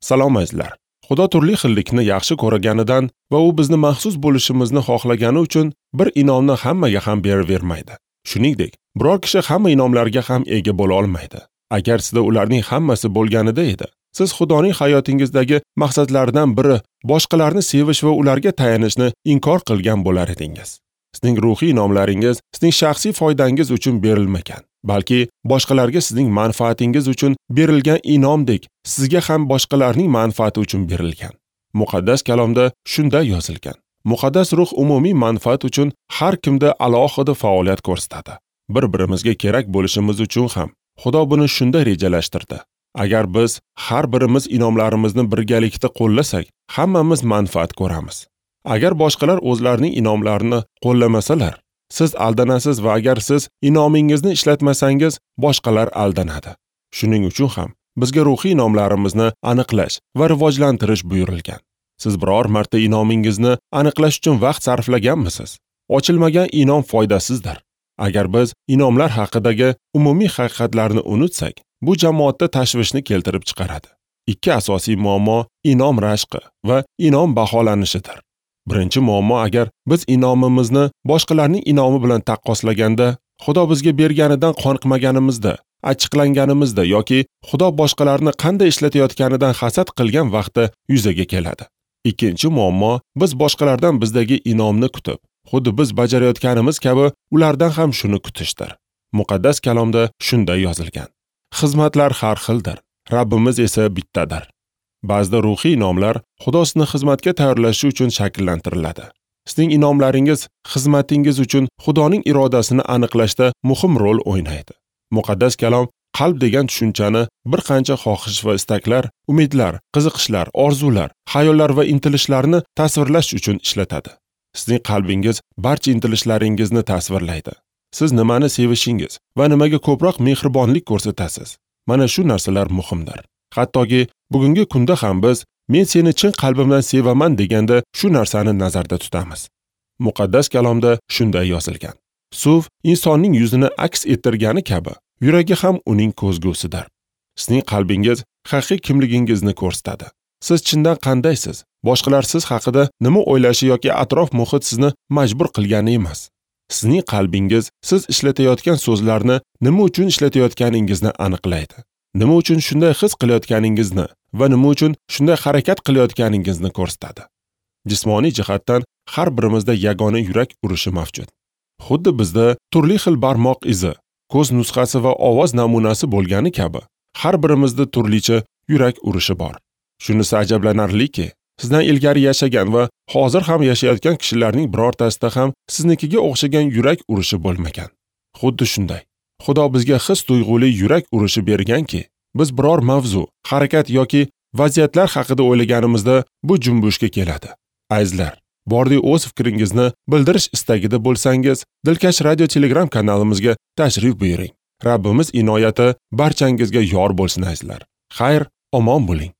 Salom azizlar. Xudo turli xillikni yaxshi ko'rganidan va u bizni maxsus bo'lishimizni xohlagani uchun bir inomni hammaga ham beravermaydi. Shuningdek, biror kishi hamma inomlarga ham ega bo'la olmaydi. Agar sizda ularning hammasi bo'lganida edi, siz Xudoning hayotingizdagi maqsadlaridan biri boshqalarni sevish va ularga tayanishni inkor qilgan bo'lar edingiz. Sizning ruhiy inomlaringiz sizning shaxsiy foydangiz uchun berilmagan, balki boshqalarga sizning manfaatingiz uchun berilgan inomdek sizga ham boshqalarning manfaati uchun berilgan. Muqaddas kalomda shunday yozilgan. Muqaddas ruh umumiy manfaat uchun har kimda alohida faoliyat ko'rsatadi. Bir-birimizga kerak bo'lishimiz uchun ham Xudo buni shunday rejalashtirdi. Agar biz har birimiz inomlarimizni birgalikda qo'llasak, hammamiz manfaat ko'ramiz. Agar boshqalar o'zlarining inomlarini qo'llamasalar, siz aldanasiz va agar siz inomingizni ishlatmasangiz, boshqalar aldanadi. Shuning uchun ham bizga ruhiy inomlarimizni aniqlash va rivojlantirish buyurilgan. Siz biror marta inomingizni aniqlash uchun vaqt sarflaganmisiz? Ochilmagan inom foydasizdir. Agar biz inomlar haqidagi umumiy haqiqatlarni unutsak, bu jamoatda tashvishni keltirib chiqaradi. Ikki asosiy muammo inom rashqi va inom baholanishidir. Birinchi muammo, agar biz inomimizni boshqalarning inomi bilan taqqoslaganda, Xudo bizga berganidan qoniqmaganimizda, achchiqlanganimizda yoki Xudo boshqalarni qanday ishlatayotganidan hasad qilgan vaqtda yuzaga keladi. Ikkinchi muammo, biz boshqalardan bizdagi inomni kutib, xuddi biz bajarayotganimiz kabi ulardan ham shuni kutishdir. Muqaddas kalomda shunday yozilgan. Xizmatlar har xildir, Rabbimiz esa bittadir. Ba'zida ruhiy inomlar Xudo sizni xizmatga tayyorlashi uchun shakllantiriladi. Sizning inomlaringiz xizmatingiz uchun Xudoning irodasini aniqlashda muhim rol o'ynaydi. Muqaddas kalom qalb degan tushunchani bir qancha xohish va istaklar, umidlar, qiziqishlar, orzular, xayollar va intilishlarni tasvirlash uchun ishlatadi. Sizning qalbingiz barcha intilishlaringizni tasvirlaydi. Siz nimani sevishingiz va nimaga ko'proq mehribonlik ko'rsatasiz. Mana shu narsalar muhimdir. Hattoki bugungi kunda ham biz men seni chin qalbimdan sevaman deganda shu narsani nazarda tutamiz. Muqaddas kalomda shunday yozilgan. Suv insonning yuzini aks ettirgani kabi, yuragi ham uning ko'zgusidir. Sizning qalbingiz haqiqiy kimligingizni ko'rsatadi. Siz chindan qandaysiz? Boshqalar siz haqida nima o'ylashi yoki atrof muhit sizni majbur qilgani emas. Sizning qalbingiz siz ishlatayotgan so'zlarni nima uchun ishlatayotganingizni aniqlaydi. Nima uchun shunday his qilayotganingizni va nima uchun shunday harakat qilayotganingizni ko'rsatadi. Jismoniy jihatdan har birimizda yagona yurak urishi mavjud. Xuddi bizda turli xil barmoq izi, ko'z nusxasi va ovoz namunasi bo'lgani kabi, har birimizda turlicha yurak urishi bor. Shunisi ajablanarliki, sizdan ilgari yashagan va hozir ham yashayotgan kishilarning birortasida ham siznikiga o'xshagan yurak urishi bo'lmagan. Xuddi shunday. Xudo bizga his tuyg'uli yurak urishi berganki, biz biror mavzu, harakat yoki vaziyatlar haqida o'ylaganimizda bu junbushga keladi. Azizlar, bordi o'z fikringizni bildirish istagida bo'lsangiz, Dilkash radio Telegram kanalimizga tashrif buyuring. Rabbimiz inoyati barchangizga yor bo'lsin azizlar. Xayr, omon bo'ling.